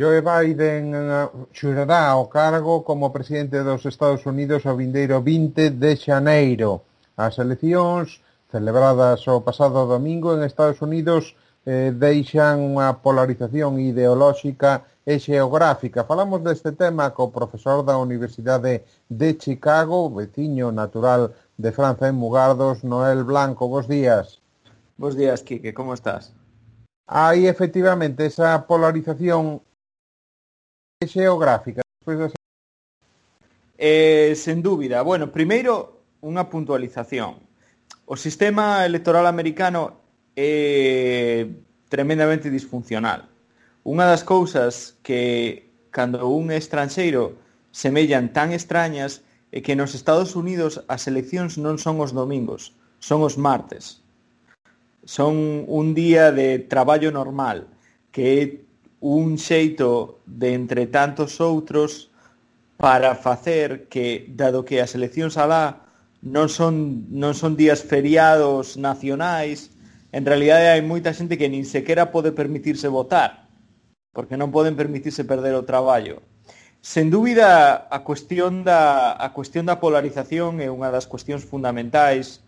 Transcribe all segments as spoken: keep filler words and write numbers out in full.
Joe Biden xurará o cargo como presidente dos Estados Unidos o vindeiro vinte de xaneiro. As eleccións celebradas o pasado domingo en Estados Unidos eh, deixan unha polarización ideolóxica e xeográfica. Falamos deste tema co profesor da Universidade de Chicago, veciño natural de Franza en Mugardos, Noel Blanco. Bos días. Bos días, Quique, como estás? Hai efectivamente esa polarización xeográfica. Despois... Eh, sen dúbida. Bueno, primeiro, unha puntualización. O sistema electoral americano é tremendamente disfuncional. Unha das cousas que, cando un estranxeiro semellan tan extrañas, é que nos Estados Unidos as eleccións non son os domingos, son os martes. Son un día de traballo normal, que é un xeito de, entre tantos outros, para facer que, dado que as eleccións alá non son, non son días feriados nacionais, en realidade hai moita xente que nin sequera pode permitirse votar, porque non poden permitirse perder o traballo. Sen dúbida, a cuestión da, a cuestión da polarización é unha das cuestións fundamentais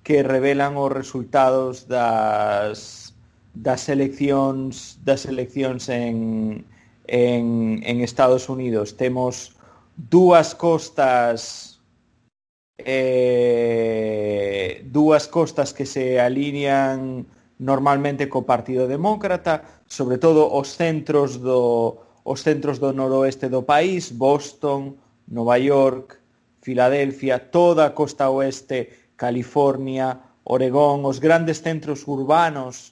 que revelan os resultados das, das eleccións das eleccións en, en, en Estados Unidos. Temos dúas costas eh, dúas costas que se alinean normalmente co Partido Demócrata, sobre todo os centros do os centros do noroeste do país, Boston, Nova York, Filadelfia, toda a costa oeste, California, Oregón, os grandes centros urbanos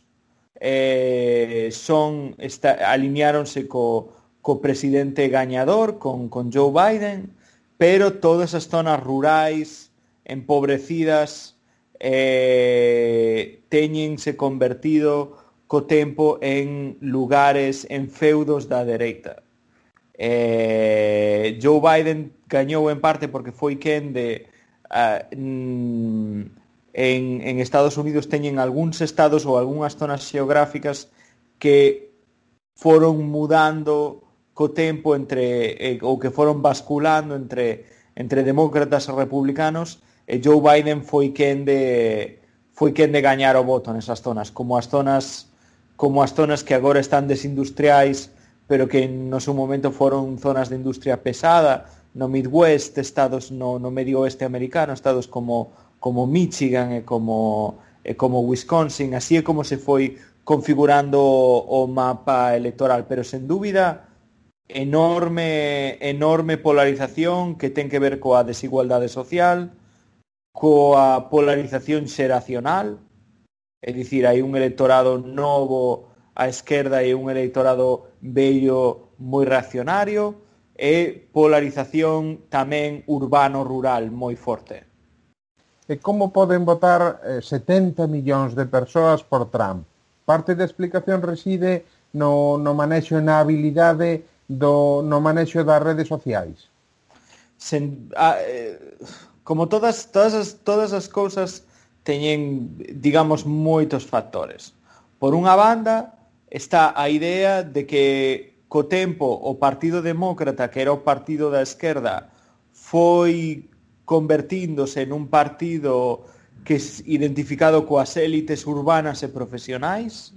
eh, son esta, alineáronse co, co presidente gañador, con, con Joe Biden, pero todas as zonas rurais, empobrecidas, eh, teñense convertido co tempo en lugares, en feudos da dereita. Eh, Joe Biden gañou en parte porque foi quen de uh, en, en Estados Unidos teñen algúns estados ou algunhas zonas xeográficas que foron mudando co tempo entre eh, ou que foron basculando entre entre demócratas e republicanos, e Joe Biden foi quen de foi quen de gañar o voto nesas zonas, como as zonas como as zonas que agora están desindustriais, pero que no seu momento foron zonas de industria pesada, no Midwest, estados no, no medio oeste americano, estados como como Michigan e como e como Wisconsin. Así é como se foi configurando o mapa electoral, pero sen dúbida enorme enorme polarización que ten que ver coa desigualdade social, coa polarización xeracional, é dicir, hai un electorado novo á esquerda e un electorado vello moi reaccionario, e polarización tamén urbano-rural moi forte. E como poden votar eh, setenta millóns de persoas por Trump? Parte da explicación reside no, no manexo e na habilidade do, no manexo das redes sociais. Sen, a, eh, como todas, todas, as, todas as cousas teñen, digamos, moitos factores. Por unha banda está a idea de que co tempo o Partido Demócrata, que era o partido da esquerda, foi convertíndose en un partido que é identificado coas élites urbanas e profesionais,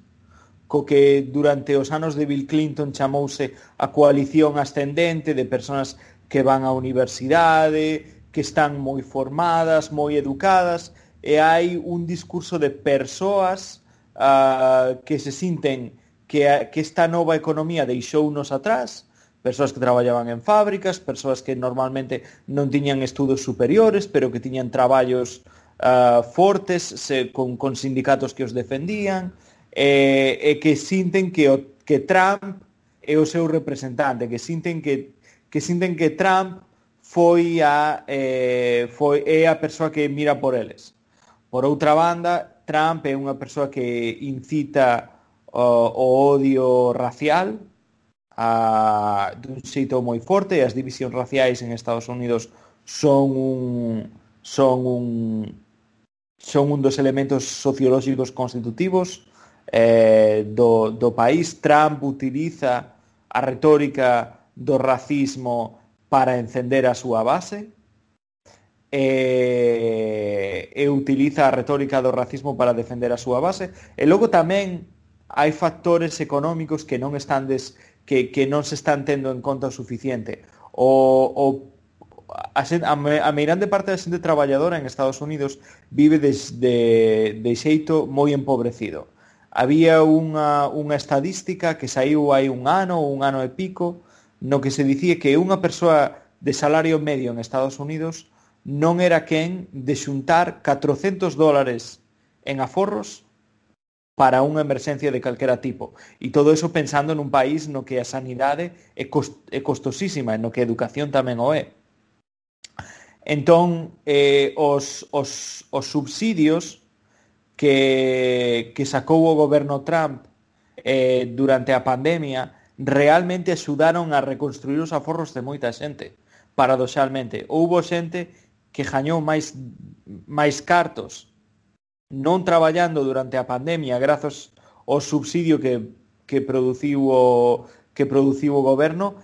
co que durante os anos de Bill Clinton chamouse a coalición ascendente de persoas que van á universidade, que están moi formadas, moi educadas, e hai un discurso de persoas uh, que se sinten que, que esta nova economía deixounos atrás, persoas que traballaban en fábricas, persoas que normalmente non tiñan estudos superiores, pero que tiñan traballos uh, fortes, se, con, con sindicatos que os defendían, e, e que sinten que, o, que Trump é o seu representante, que sinten que, que, sinten que Trump foi a, eh, foi, é a persoa que mira por eles. Por outra banda, Trump é unha persoa que incita uh, o odio racial a, dun xeito moi forte, e as divisións raciais en Estados Unidos son un, son un, son un dos elementos sociolóxicos constitutivos eh, do, do país. Trump utiliza a retórica do racismo para encender a súa base, e, e utiliza a retórica do racismo para defender a súa base, e logo tamén hai factores económicos que non están des, que, que non se están tendo en conta o suficiente. O, o, a, a meirande parte da xente traballadora en Estados Unidos vive des, de, de xeito moi empobrecido. Había unha, unha estadística que saiu hai un ano ou un ano e pico no que se dicía que unha persoa de salario medio en Estados Unidos non era quen de xuntar catrocentos dólares en aforros para unha emerxencia de calquera tipo. E todo eso pensando nun país no que a sanidade é, cost, é costosísima e no que a educación tamén o é. Entón, eh, os, os, os subsidios que, que sacou o goberno Trump eh, durante a pandemia realmente axudaron a reconstruir os aforros de moita xente. Paradoxalmente, houbo xente que gañou máis, máis cartos non traballando durante a pandemia grazas ao subsidio que, que produciu o que produciu o goberno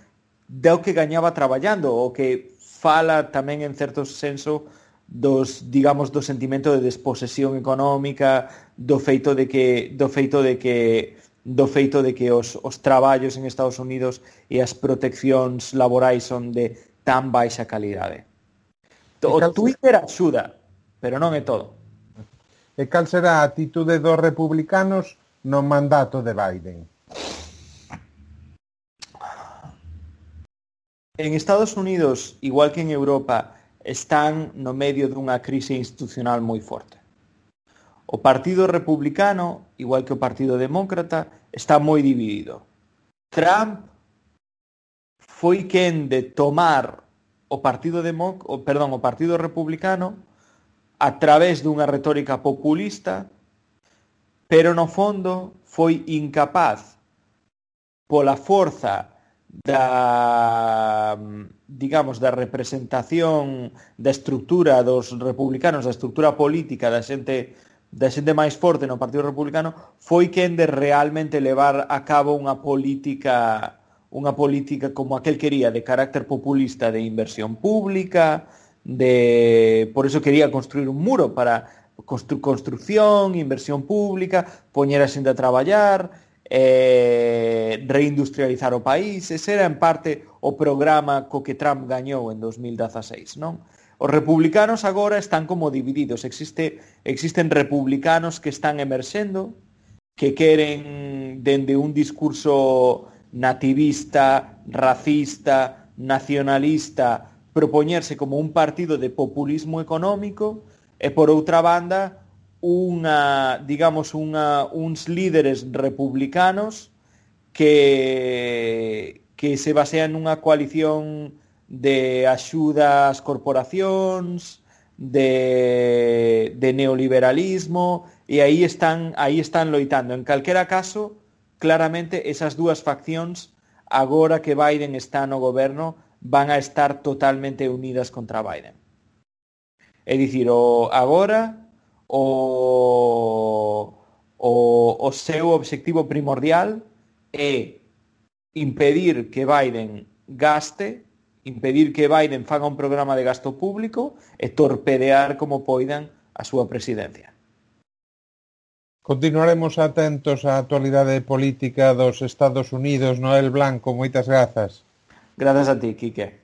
do que gañaba traballando, o que fala tamén en certo senso dos, digamos, do sentimento de desposesión económica, do feito de que do feito de que do feito de que os, os traballos en Estados Unidos e as proteccións laborais son de tan baixa calidade. O Twitter axuda, pero non é todo. E cal será a atitude dos republicanos no mandato de Biden? En Estados Unidos, igual que en Europa, están no medio dunha crise institucional moi forte. O Partido Republicano, igual que o Partido Demócrata, está moi dividido. Trump foi quen de tomar o Partido Democ, o, perdón, o Partido Republicano a través dunha retórica populista, pero no fondo foi incapaz pola forza da, digamos, da representación da estrutura dos republicanos, da estrutura política da xente da xente máis forte no Partido Republicano, foi quen de realmente levar a cabo unha política unha política como aquel quería, de carácter populista, de inversión pública, de por eso quería construir un muro para constru construcción, inversión pública, poñer a xente a traballar, eh, reindustrializar o país. Ese era en parte o programa co que Trump gañou en dos mil dieciséis, non? Os republicanos agora están como divididos. Existe, existen republicanos que están emerxendo, que queren dende un discurso nativista, racista, nacionalista, propoñerse como un partido de populismo económico, e por outra banda, unha, digamos, unha, uns líderes republicanos que, que se basean nunha coalición de axuda ás corporacións, de, de neoliberalismo, e aí están, aí están loitando. En calquera caso, claramente esas dúas faccións, agora que Biden está no goberno, van a estar totalmente unidas contra Biden. É dicir, o, agora o, o, o seu obxectivo primordial é impedir que Biden gaste, impedir que Biden faga un programa de gasto público e torpedear como poidan a súa presidencia. Continuaremos atentos á actualidade política dos Estados Unidos. Noel Blanco, moitas grazas. Grazas a ti, Quique.